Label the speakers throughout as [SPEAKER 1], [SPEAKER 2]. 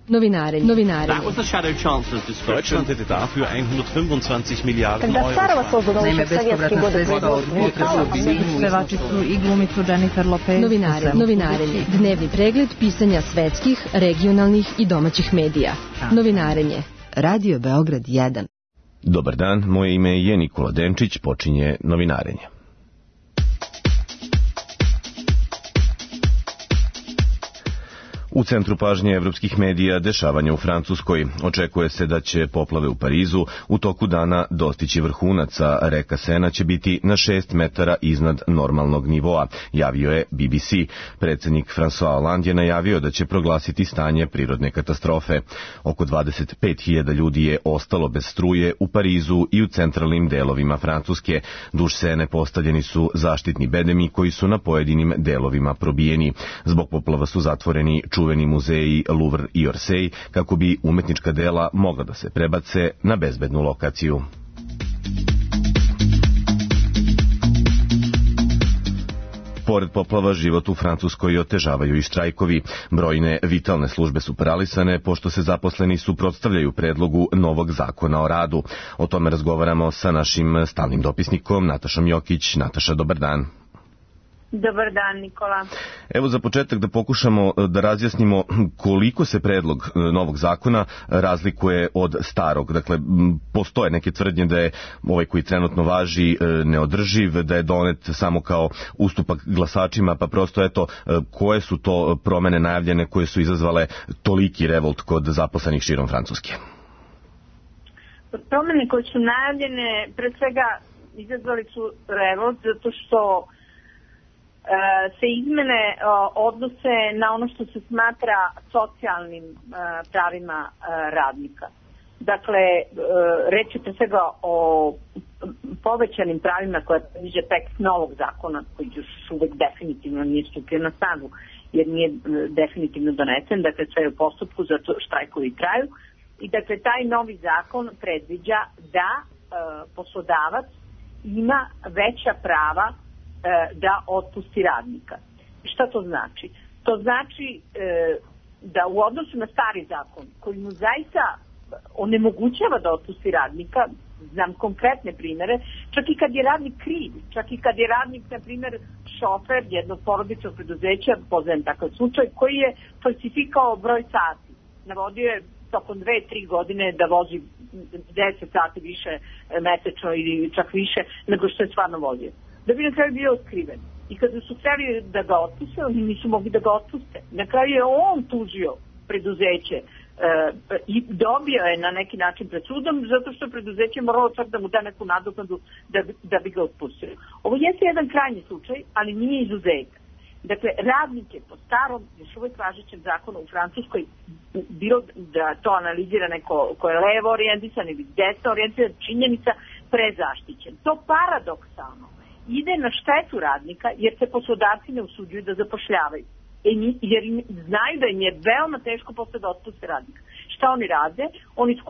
[SPEAKER 1] Novinarenje.
[SPEAKER 2] That was the Shadow Chancellor's description.
[SPEAKER 3] Deutschland hätte dafür 125 Miliarden
[SPEAKER 4] Когда старого
[SPEAKER 3] Euro.
[SPEAKER 4] создано
[SPEAKER 5] Naime,
[SPEAKER 4] еще в советские
[SPEAKER 5] bespovratna
[SPEAKER 4] годы
[SPEAKER 5] sredstva od
[SPEAKER 4] производства.
[SPEAKER 5] pevačicu i glumicu Jennifer Lopez.
[SPEAKER 1] Novinarenje. Dnevni pregled pisanja svetskih, regionalnih i domaćih medija. Novinarenje. Radio Beograd 1.
[SPEAKER 6] Dobar dan, moje ime je Nikola Denčić, počinje Novinarenje. U centru pažnje evropskih medija dešavanja u Francuskoj. Očekuje se da će poplave u Parizu u toku dana dostići vrhunac, a reka Sena će biti na 6 metara iznad normalnog nivoa, javio je BBC. Predsednik François Hollande je najavio da će proglasiti stanje prirodne katastrofe. Oko 25.000 ljudi je ostalo bez struje u Parizu i u centralnim delovima Francuske. Duž Sene postavljeni su zaštitni bedemi koji su na pojedinim delovima probijeni. Zbog poplava su zatvoreni čuveni muzeji Louvre i Orsay kako bi umetnička dela mogla da se prebace na bezbednu lokaciju. Pored poplava, život u Francuskoj otežavaju i štrajkovi. Brojne vitalne službe su paralisane, pošto se zaposleni suprotstavljaju predlogu novog zakona o radu. O tome razgovaramo sa našim stalnim dopisnikom Natašom Jokić. Nataša, dobar dan.
[SPEAKER 7] Dobar dan, Nikola.
[SPEAKER 6] Evo za početak da pokušamo da razjasnimo koliko se predlog novog zakona razlikuje od starog. Dakle, postoje neke tvrdnje da je ovaj koji trenutno važi neodrživ, da je donet samo kao ustupak glasačima, pa prosto eto, koje su to promene najavljene koje su izazvale toliki revolt kod zaposlenih širom Francuske?
[SPEAKER 7] Promene koje su najavljene, pre svega izazvali su revolt zato što se izmene odnose na ono što se smatra socijalnim pravima radnika. Dakle, reč je pre svega o povećanim pravima koje predviđa tekst novog zakona, koji još uvek definitivno nije stupio na snagu, jer nije definitivno donesen, dakle sve je u postupku, zato štrajkovi traju. I dakle, taj novi zakon predviđa da poslodavac ima veća prava da otpusti radnika. Šta to znači? To znači da u odnosu na stari zakon, koji mu zaista onemogućava da otpusti radnika, znam konkretne primere, čak i kad je radnik kriv, čak i kad je radnik, na primjer, šofer jednog porodičnog preduzeća, poznajem takav slučaj, koji je falsifikao broj sati. Navodio je tokom 2-3 godine da vozi 10 sati više mesečno ili čak više nego što je stvarno vozio. Da bi na kraju bio otkriven. I kada su hteli da ga otpuste, oni nisu mogli da ga otpuste. Na kraju je on tužio preduzeće i dobio je na neki način pred sudom, zato što preduzeće moralo čak da mu da neku nadoknadu da bi ga otpustio. Ovo jeste jedan krajnji slučaj, ali nije izuzetak. Dakle, radnik je po starom, još uvijek važećem zakonu u Francuskoj, bilo da to analizira neko ko je levo orijentisan ili desno orijentisan, činjenica prezaštićen. To paradoksalno ide na štetu radnika jer se poslodavci ne usuđuju da zapošljavaju. Jer znaju da im je veoma teško posle da otpuste radnika. Šta oni rade? Oni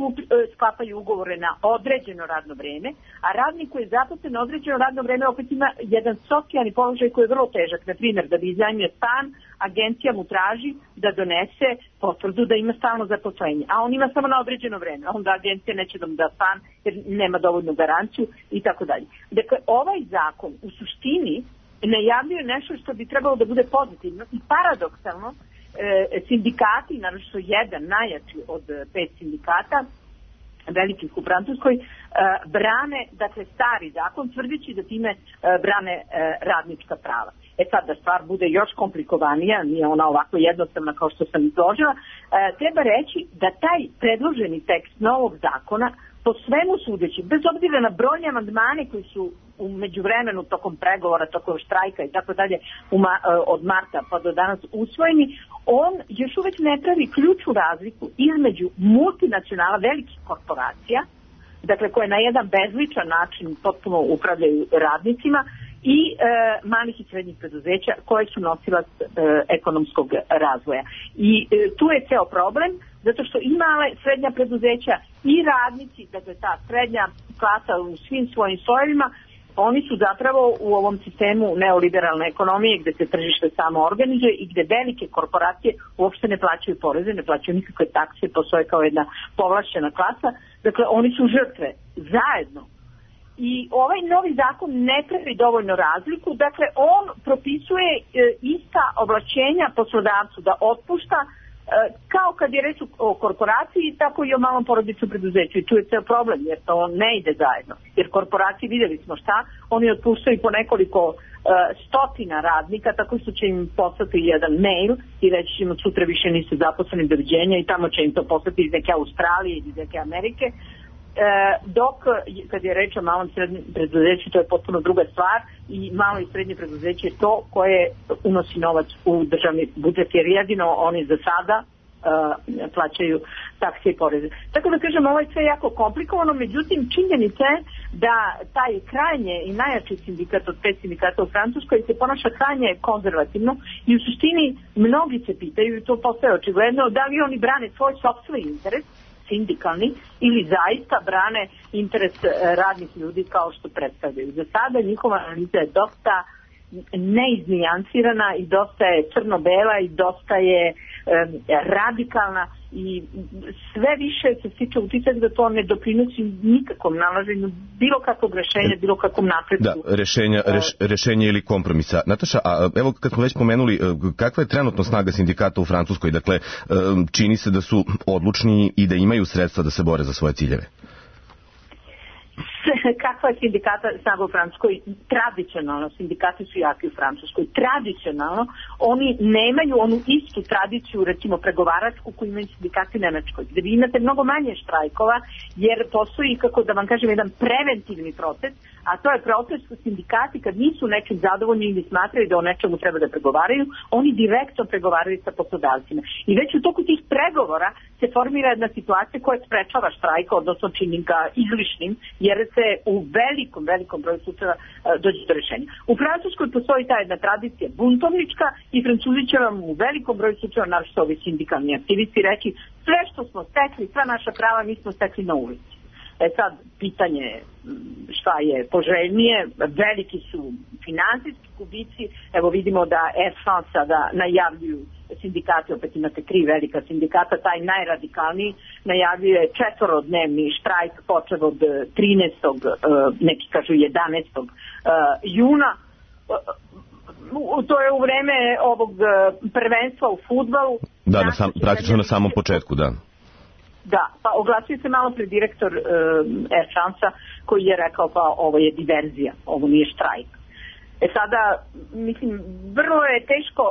[SPEAKER 7] sklapaju ugovore na određeno radno vreme, a radnik koji je zaposlen na određeno radno vreme opet ima jedan socijalni položaj koji je vrlo težak. Na primjer, da bi iznajmio stan, agencija mu traži da donese potvrdu da ima stalno zaposlenje, a on ima samo na određeno vreme. Onda agencija neće da mu da stan jer nema dovoljnu garanciju i tako dalje. Dakle, ovaj zakon u suštini najavljuje nešto što bi trebalo da bude pozitivno i paradoksalno sindikati, naravno jedan najjači od 5 sindikata velikih u Francuskoj, brane, dakle, stari zakon, tvrdeći da time brane radnička prava. Sad da stvar bude još komplikovanija, nije ona ovako jednostavna kao što sam izložila, treba reći da taj predloženi tekst novog zakona po svemu sudeći, bez obzira na brojne amandmane koji su u međuvremenu tokom pregovora, tokom štrajka i tako dalje od marta pa do danas usvojeni, on još uvijek ne pravi ključnu razliku između multinacionala, velikih korporacija, dakle koje na jedan bezličan način potpuno upravljaju radnicima, i malih i srednjih preduzeća koje su nosilac ekonomskog razvoja. I tu je ceo problem, zato što i male srednja preduzeća i radnici, dakle ta srednja klasa u svim svojim slojevima, oni su zapravo u ovom sistemu neoliberalne ekonomije gde se tržište samo organizuje i gde velike korporacije uopšte ne plaćaju poreze, ne plaćaju nikakve takse, postoje kao jedna povlašćena klasa. Dakle, oni su žrtve zajedno. I ovaj novi zakon ne pravi dovoljno razliku, dakle on propisuje ista ovlašćenja poslodavcu da otpušta kao kad je reč o korporaciji, tako i o malom porodičnom preduzeću. I tu je ceo problem, jer to ne ide zajedno. Jer korporacije, vidjeli smo šta, oni otpuštaju po nekoliko stotina radnika, tako što će im poslati jedan mail i reći ćemo sutra više nisu zaposleni, doviđenja, i tamo će im to poslati iz neke Australije ili iz neke Amerike. Dok kad je reč o malom srednjem preduzeću, to je potpuno druga stvar, i malo i srednje preduzeće je to koje unosi novac u državni budžet, jer jedino oni za sada plaćaju takse i poreze. Tako da kažem, ovo je sve jako komplikovano, međutim činjenica je da taj krajnje i najjači sindikat od 5 sindikata u Francuskoj se ponaša krajnje konzervativno i u suštini mnogi se pitaju, i to postaje očigledno, da li oni brane svoj sopstveni interes sindikalni ili zaista brane interes radnih ljudi kao što predstavljaju. Za sada njihova analiza je dosta neiznijansirana i dosta je crno-bela i dosta je radikalna i sve više se stiče utisak da to ne doprinosi nikakvom nalaženju bilo kakvog rešenja, bilo kakvom napretku.
[SPEAKER 6] Da, rešenje ili kompromisa. Nataša, a evo kad smo već pomenuli, kakva je trenutno snaga sindikata u Francuskoj? Dakle, čini se da su odlučni i da imaju sredstva da se bore za svoje ciljeve.
[SPEAKER 7] Kakva je sindikata snaga u Francuskoj? Tradicionalno, sindikati su jaki u Francuskoj. Tradicionalno, oni nemaju onu istu tradiciju, recimo pregovaračku, koju imaju sindikati u Nemačkoj, gde vi imate mnogo manje štrajkova, jer postoji, kako da vam kažem, jedan preventivni proces, a to je proces u sindikati kad nisu nečim zadovoljni ili smatraju da o nečemu treba da pregovaraju, oni direktno pregovaraju sa poslodavcima. I već u toku tih pregovora se formira jedna situacija koja sprečava štrajka, odnosno čini ga izlišnim, jer se u velikom broju slučajeva dođe do rešenja. U Francuskoj postoji ta jedna tradicija buntovnička i Francuzi će vam u velikom broju slučajeva, naravno ovi sindikalni aktivisti, reći sve što smo stekli, sva naša prava mi smo stekli na ulici. Sad, pitanje je šta je poželjnije, veliki su finansijski gubici, evo vidimo da Air France sada najavljuju sindikati, opet imate 3 velika sindikata, taj najradikalniji najavljuje 4-dnevni štrajk počev od 13. neki kažu 11. juna. To je u vreme ovog prvenstva u fudbalu.
[SPEAKER 6] Da, praktično na samom početku, da.
[SPEAKER 7] Da, pa oglasio se malo pre direktor Air France-a koji je rekao pa ovo je diverzija, ovo nije štrajk. Sada, mislim, vrlo je teško,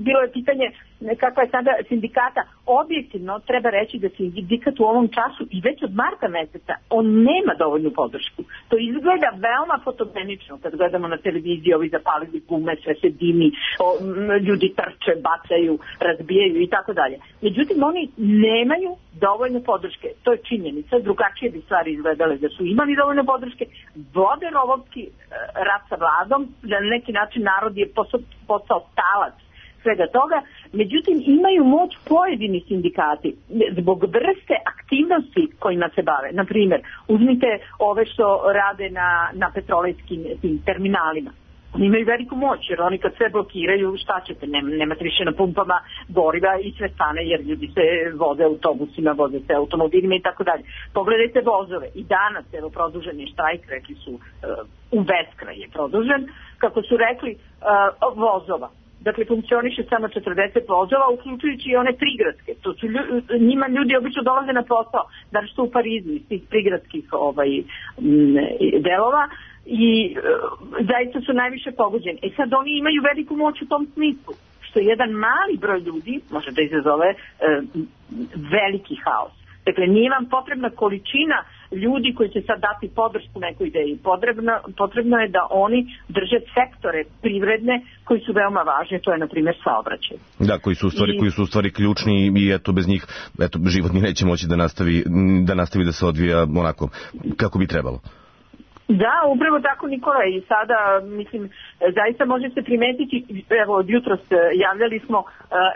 [SPEAKER 7] bilo je pitanje kakva je sada sindikata. Objektivno treba reći da sindikat u ovom času i već od marta meseca on nema dovoljnu podršku. To izgleda veoma fotogenično kad gledamo na televiziji, ovi zapalili gume, sve se dimi, ljudi trče, bacaju, razbijaju i tako dalje. Međutim, oni nemaju dovoljno podrške. To je činjenica. Drugačije bi stvari izgledale da su imali dovoljno podrške. Vode rovovski rat sa vladom, da na neki način narod je postao talac svega toga, međutim imaju moć pojedini sindikati zbog vrste aktivnosti kojima se bave. Naprimjer, uzmite ove što rade na petrolejskim terminalima. Oni imaju veliku moć, jer oni kad sve blokiraju, šta ćete, nemate više na pumpama goriva i sve stane, jer ljudi se voze autobusima, voze se automobilima i tako dalje. Pogledajte vozove. I danas, evo, produžen je štrajk, rekli su, u beskraj je produžen, kako su rekli, vozova. Dakle, funkcioniše samo 40 vozova, uključujući i one prigradske. To su njima ljudi obično dolaze na posao, da što u Parizu iz tih prigradskih delova, i zaista su najviše pogođeni. Sad oni imaju veliku moć u tom smislu, što jedan mali broj ljudi može da izazove veliki haos. Dakle, nije vam potrebna količina ljudi koji će sad dati podršku nekoj ideji. Potrebno je da oni drže sektore privredne koji su veoma važni, to je na primjer saobraćaj.
[SPEAKER 6] Da, koji su u stvari ključni i eto bez njih život ni neće moći da nastavi da se odvija onako kako bi trebalo.
[SPEAKER 7] Da, upravo tako, Nikola, i sada, mislim, zaista može se primetiti, evo, od jutros javljali smo,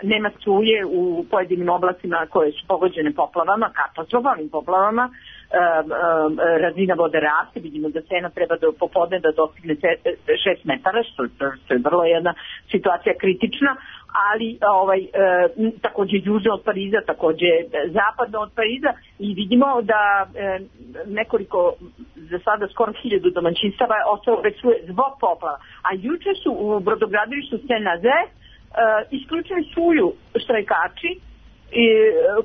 [SPEAKER 7] nema struje u pojedinim oblastima koje su pogođene poplavama, katastrofalnim poplavama, razina vode raste, vidimo da Sena treba popodne da dostigne 6 metara, što je vrlo jedna situacija kritična, ali takođe južno od Pariza, takođe zapadno od Pariza, i vidimo da nekoliko, za sada skoro 1000 domaćinstava je ostalo bez struje zbog poplava. A juče su u brodogradilištu Senaze isključili struju štrajkači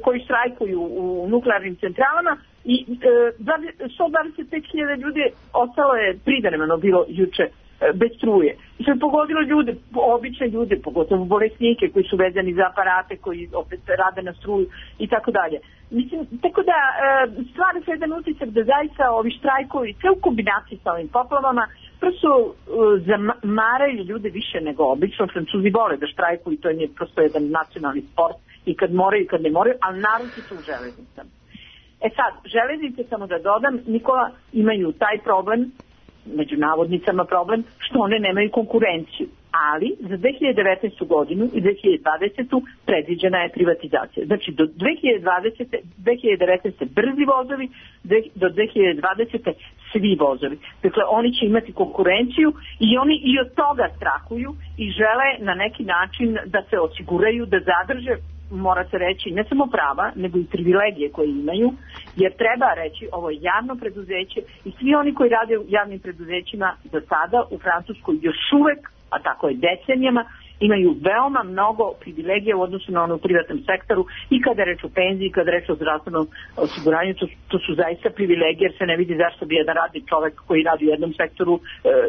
[SPEAKER 7] koji štrajkuju u nuklearnim centralama i 125.000 ljudi ostalo je privremeno bilo juče bez struje. I što je pogodilo ljude, obične ljude, pogotovo bolesnike koji su vezani za aparate, koji opet rade na struju i tako dalje. Mislim, tako da stvara se jedan utisak da zaista ovi štrajkovi, sve u kombinaciji sa ovim poplavama, prosto zamaraju ljude više nego obično. Francuzi vole da štrajkuju i to je prosto jedan nacionalni sport i kad moraju i kad ne moraju, ali naročito u železnicama. Sad, železnice, samo da dodam, Nikola, imaju taj problem, među navodnicama problem, što one nemaju konkurenciju. Ali za 2019. godinu i 2020. predviđena je privatizacija. Znači do 2019. brzi vozovi, do 2020. svi vozovi. Dakle, oni će imati konkurenciju i oni i od toga strahuju i žele na neki način da se osiguraju, da zadrže, mora se reći, ne samo prava, nego i privilegije koje imaju, jer treba reći, ovo je javno preduzeće i svi oni koji rade u javnim preduzećima do sada u Francuskoj još uvek, a tako je decenijama, imaju veoma mnogo privilegija u odnosu na ono u privatnom sektoru i kada reč o penziji, kada reč o zdravstvenom osiguranju, to su zaista privilegije, jer se ne vidi zašto bi jedan radni čovek koji radi u jednom sektoru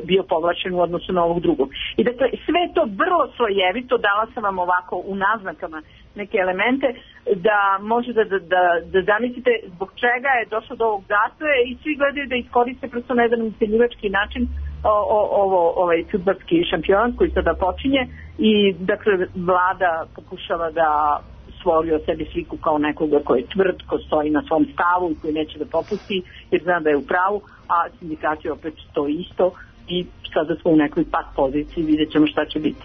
[SPEAKER 7] bio povlačen u odnosu na ovog drugog. I dakle, sve to vrlo slojevito, dala sam vam ovako u naznakama neke elemente da može da zamislite zbog čega je došlo do ovog zatoja i svi gledaju da iskoriste prosto na jedan ucenjivački način ovaj fudbalski šampionat koji sada počinje i dakle vlada pokušava da stvori o sebi sliku kao nekoga koji je tvrd, ko stoji na svom stavu i koji neće da popusti jer zna da je u pravu, a sindikati opet to isto i sada smo u nekoj pat poziciji, vidjet ćemo šta će biti.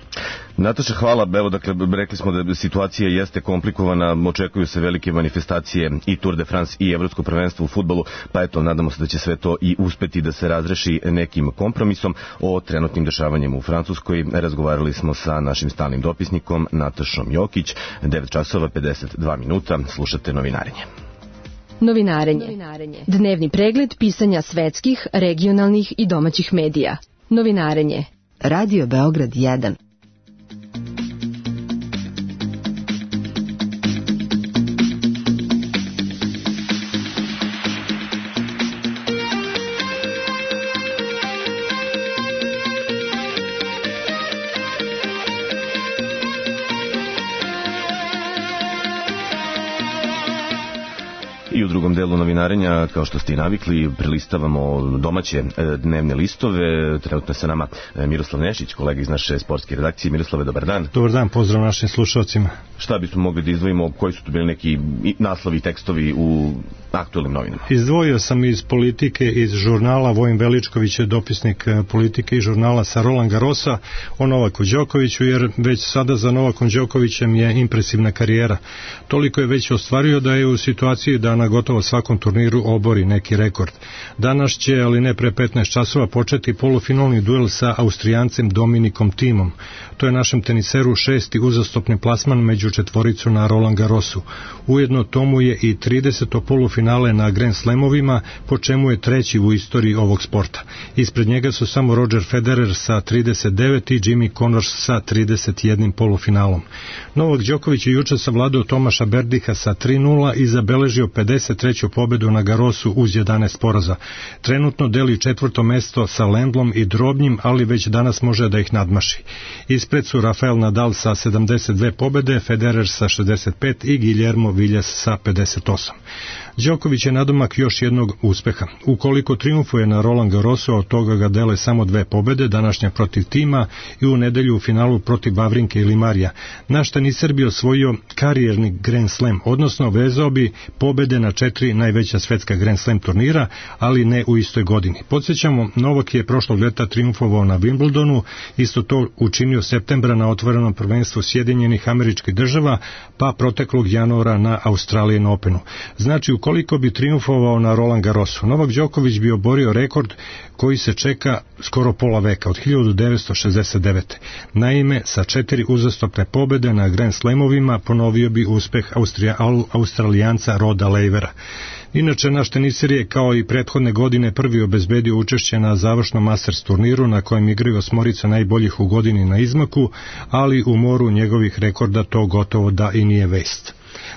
[SPEAKER 6] Nataša, hvala. Evo, dakle, rekli smo da situacija jeste komplikovana, očekuju se velike manifestacije i Tour de France i Evropsko prvenstvo u fudbalu, pa eto, nadamo se da će sve to i uspeti da se razreši nekim kompromisom. O trenutnim dešavanjima u Francuskoj razgovarali smo sa našim stalnim dopisnikom Natašom Jokić. 9:52. Slušate Novinarenje.
[SPEAKER 1] Novinarenje. Dnevni pregled pisanja svetskih, regionalnih i domaćih medija. Novinarenje. Radio Beograd 1.
[SPEAKER 6] I u drugom delu novinarenja, kao što ste i navikli, prelistavamo domaće dnevne listove. Trenutno je sa nama Miroslav Nešić, kolega iz naše sportske redakcije. Miroslave, dobar dan.
[SPEAKER 4] Dobar dan, pozdrav našim slušalcima.
[SPEAKER 6] Šta bismo mogli da izdvojimo, koji su tu bili neki naslovi i tekstovi u aktualnim novinama?
[SPEAKER 4] Izdvojio sam iz Politike, iz žurnala, Vojin Veličković je dopisnik Politike i žurnala sa Roland Garrosa o Novaku Đokoviću, jer već sada za Novakom Đokovićem je impresivna karijera. Toliko je već ostvario da je u situaciji da na gotovo svakom turniru obori neki rekord. Danas će, ali ne pre 15 časova, početi polufinalni duel sa Austrijancem Dominikom Thimom. To je našem teniseru 6. uzastopni plasman među četvoricu na Roland Garrosu. Ujedno tomu je i 30. polufinale na Grand Slamovima, po čemu je treći u istoriji ovog sporta. Ispred njega su samo Roger Federer sa 39 i Jimmy Connors sa 31 polufinalom. Novak Đoković je juče savladao Tomaša Berdiha sa 3:0 i zabeležio 53. pobedu na Garrosu uz 11 poraza. Trenutno deli četvrto mesto sa Lendlom i Drobnjim, ali već danas može da ih nadmaši. Ispred su Rafael Nadal sa 72 pobede, Federer sa 65 i Guillermo Villas sa 58. Đoković je nadomak još jednog uspeha. Ukoliko triumfuje na Roland Garrosu, od toga ga dele samo 2 pobede, današnja protiv Thima i u nedelju u finalu protiv Vavrinke ili Marija. Naš teniser bi osvojio karijerni Grand Slam, odnosno vezao bi pobede na 4 najveća svetska Grand Slam turnira, ali ne u istoj godini. Podsjećamo, Novak je prošlog ljeta triumfovao na Wimbledonu, isto to učinio septembra na otvorenom prvenstvu Sjedinjenih Američkih Država, pa proteklog januara na Australian Openu. Znači, ukoliko ukoliko bi triumfovao na Roland Garrosu. Novak Đoković bi oborio rekord koji se čeka skoro pola veka, od 1969. Naime, sa 4 uzastopne pobede na Grand Slamovima ponovio bi uspeh Australijanca Roda Lavera. Inače, naš teniser je kao i prethodne godine prvi obezbedio učešće na završnom Masters turniru na kojem igraju 8 najboljih u godini na izmaku, ali u moru njegovih rekorda to gotovo da i nije vest.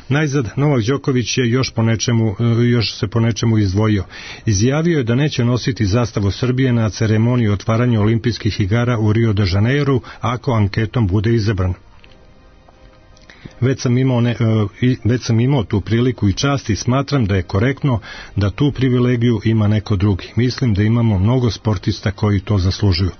[SPEAKER 4] Najzad, Novak Đoković je još se po nečemu izdvojio. Izjavio je da neće nositi zastavu Srbije na ceremoniji otvaranja olimpijskih igara u Rio de Janeiru ako anketom bude izabran. Već sam imao tu priliku i čast i smatram da je korektno da tu privilegiju ima neko drugi. Mislim da imamo mnogo sportista koji to zaslužuju.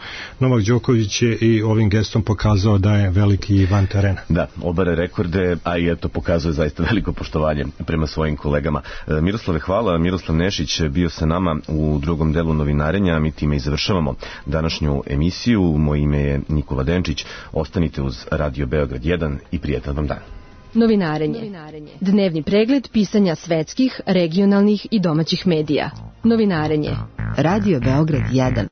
[SPEAKER 4] Novak Đoković je i ovim gestom pokazao da je veliki i van terena.
[SPEAKER 6] Da, obare rekorde, a i eto pokazuje zaista veliko poštovanje prema svojim kolegama. Miroslave, hvala. Miroslav Nešić bio sa nama u drugom delu novinarenja. Mi time i završavamo današnju emisiju. Moje ime je Nikola Denčić. Ostanite uz Radio Beograd 1 i prijatan vam dan.
[SPEAKER 1] Novinarenje. Dnevni pregled pisanja svetskih, regionalnih i domaćih medija. Novinarenje. Radio Beograd 1.